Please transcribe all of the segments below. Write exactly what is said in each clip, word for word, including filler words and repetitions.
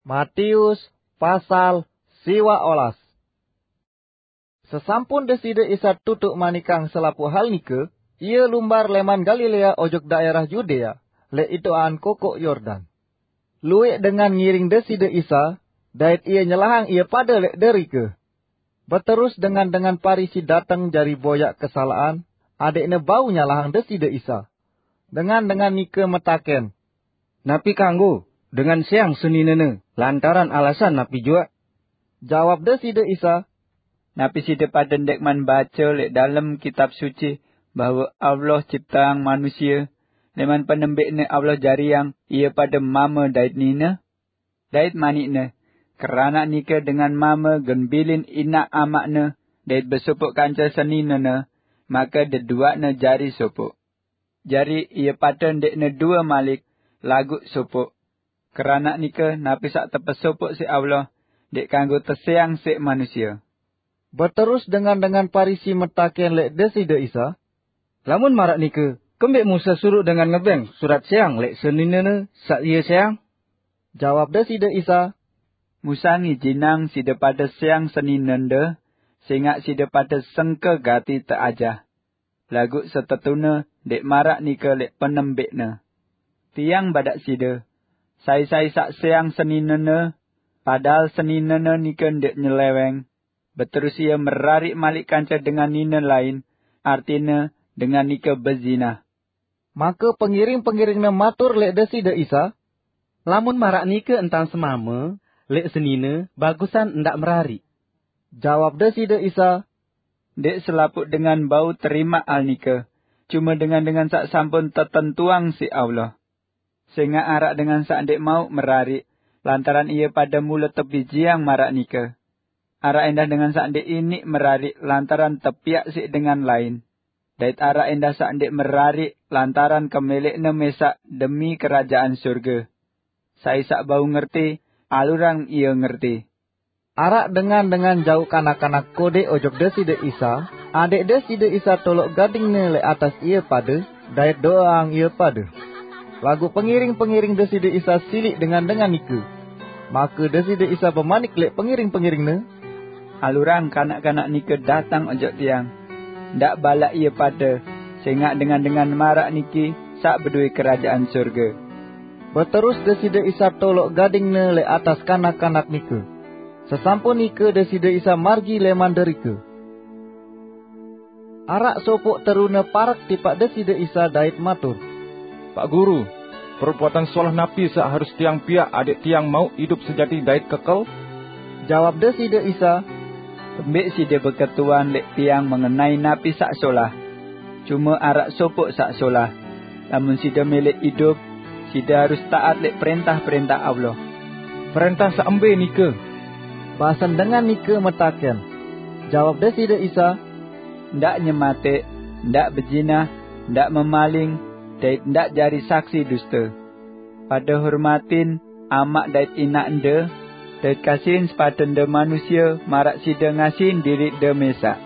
Matius pasal siwa olas. Sesampun Deside Isa tutuk manikang selapuq hal nike, Ie lumbar leman Galilea ojok daerah Yudea, leq itoqan kokoq Yordan. Lueq dengan ngiring Deside Isa, dait Ie nyelahang ie pade leq derike. Beterus dengan-dengan Parisi dateng jari boyaq kesalaqan, adeqne bau nyalahang Deside Isa. Dengan-dengan nike metaken, "Napi kanggo dengan seang seninene, lantaran alasan napi juaq?" Jawab Deside Isa, "Napi side pade ndekman bace leq dalem Kitab Suci bahwe Allah cipteang manusie, leman penembeqne Allah jariang ie pade mame dait nine? Dait manikne, 'Keranaq nike dengan mame gen bilin inaq amaqne dait besopoq kance seninene, make deduaqne jari sopoq.' Jari ie pade ndeqne due malik, laguq sopoq. Keranaq nike, napi saq tepesopoq siq Allah, ndeq kanggo teseang siq manusie." Beterus dengan-dengan Parisi metaken leq Deside Isa, "Lamun maraq nike, kembeq Musa suruq dengan ngebeng surat seang leq seninene saq ie seang?" Jawab Deside Isa, "Musa ngijinang side pade seang seninende, sengaq side pade sengke gati teajah. Laguq setetune ndeq maraq nike leq penembeqne. Tiang badaq side, sai-sai saq seang seninene, padahal seninene nike ndeq nyeleweng, beterus ie merariq malik kance dengan nine lain, artine dengan nike bezinah." Make pengiring-pengiringne matur leq Deside Isa, "Lamun maraq nike entan semame leq senine, bagusan ndaq merariq." Jawab Deside Isa, "Ndeq selapuq dengan bau terimaq hal nike, cume dengan-dengan saq sampun tetentuang siq Allah. Sengaq araq dengan saq ndeq mauq merariq, lantaran ie pade mule tebijeang maraq nike. Araq endah dengan saq ndeq iniq merariq lantaran tepiaq siq dengan lain. Dait araq endah saq ndeq merariq lantaran kemeleqne mesaq demi Kerajaan Surge. Sai saq bau ngerti, alurang ie ngerti." Araq dengan-dengan jauq kanak-kanak kodeq ojok Deside Isa, adeq Deside Isa toloq gadingne leq atas ie pade, dait do'eang ie pade. Laguq pengiring-pengiring Deside Isa siliq dengan-dengan nike. Make Deside Isa bemanik leq pengiring-pengiringne, "Alurang kanak-kanak nike dateng ojok Tiang. Ndaq balaq ie pade, sengaq dengan-dengan maraq niki saq bedowe Kerajaan Surge." Beterus Deside Isa toloq gadingne leq atas kanak-kanak nike. Sesampun nike Deside Isa margi leman derike. Araq sopoq terune parek tipaq Deside Isa dait matur, "Pak Guru, perbuatan solah napi saq harus tiang piaq adeq tiang mauq idup sejati dait kekel?" Jawab Deside Isa, "Kembeq side beketuan leq Tiang mengenai napi saq solah? Cume araq sopoq saq solah. Lamun side mele idup, side harus taat leq prentah-prentah Allah." "Prentah saq embe nike?" basen dengan nike metaken. Jawab Deside Isa, "Ndaq nyemateq, ndaq bezinah, ndaq memaling, dait ndaq jari saksi duste. Pade hormatin amaq dait inaqde, dait kasihin sepadende manusie maraq side ngasihin diriqde mesaq."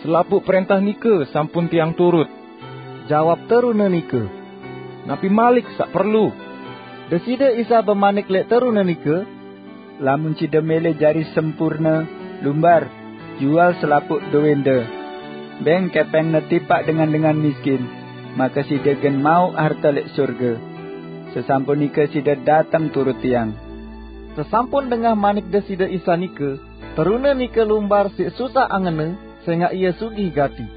"Selapuq prentah nike sampun tiang turut," jawab terune nike. "Napi malik saq perlu?" Deside Isa bemanik leq terune nike, "Lamun side mele jari sempurne, lumbar, jual selapuq dowende, beng kepengne tipaq dengan-dengan miskin, make side gen mauq harte leq surge. Sesampun nike side dateng turut Tiang." Sesampun dengah manik Deside Isa nike, terune nike lumbar siq susah angenne, sengaq ie sugih gati.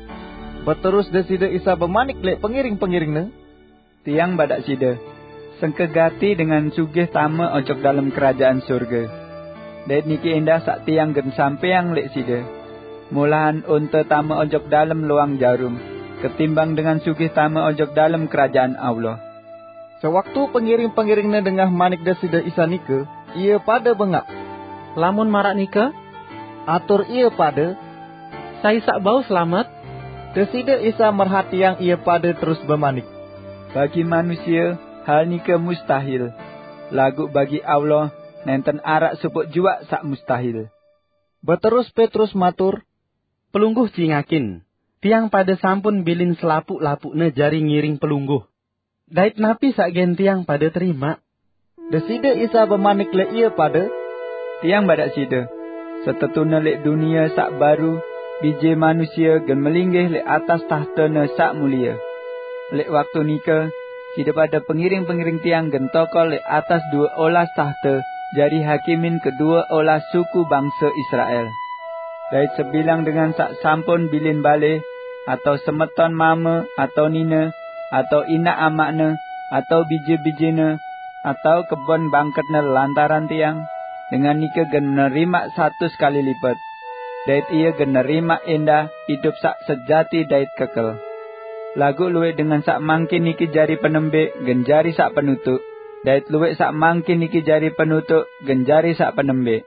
Beterus Deside Isa bemanik leq pengiring-pengiringne, "Tiang badaq side, sengke gati dengan sugih tame ojok dalem Kerajaan Surge. Dait niki endah saq Tiang gen sampeang leq side: Molahan onte tame ojok dalem loang jarum, ketimbang dengan sugih tame ojok dalem Kerajaan Allah." Sewaktu pengiring-pengiringne dengah manik Deside Isa nike, ie pade bengaq. "Lamun maraq nike," atur ie pade, "sai saq bau selamet?" Deside Isa merhatiang ie pade terus bemanik, "Bagi manusie, hal nike mustahil, laguq bagi Allah nenten araq sopoq juaq saq mustahil." Beterus Petrus matur, "Pelungguh cingakin, tiang pade sampun bilin selapuq-lapuqne jari ngiring Pelungguh. Dait napi saq gen tiang pade terimaq?" Deside Isa bemanik leq ie pade, "Tiang badaq side, setetune leq dunie saq baru, Bije Manusie gen melinggih leq atas tahtene saq mulie. Leq waktu nike, side pade pengiring-pengiring tiang gen tokol leq atas due olas tahte jari hakimin kedue olas suku bangse Israel. Dait sebilang dengan saq sampun bilin bale, atao semeton mame atao nine, atao inaq amaqne, atao bije-bijene, atao kebon bangketne lantaran tiang, dengan nike gen nerimaq satus kali lipet, dait ie gen nerimaq endah idup saq sejati dait kekel. Laguq luwẽq dengan saq mangkin niki jari penembeq gen jari saq penutuq, dait luwẽq saq mangkin niki jari penutuq gen jari saq penembeq."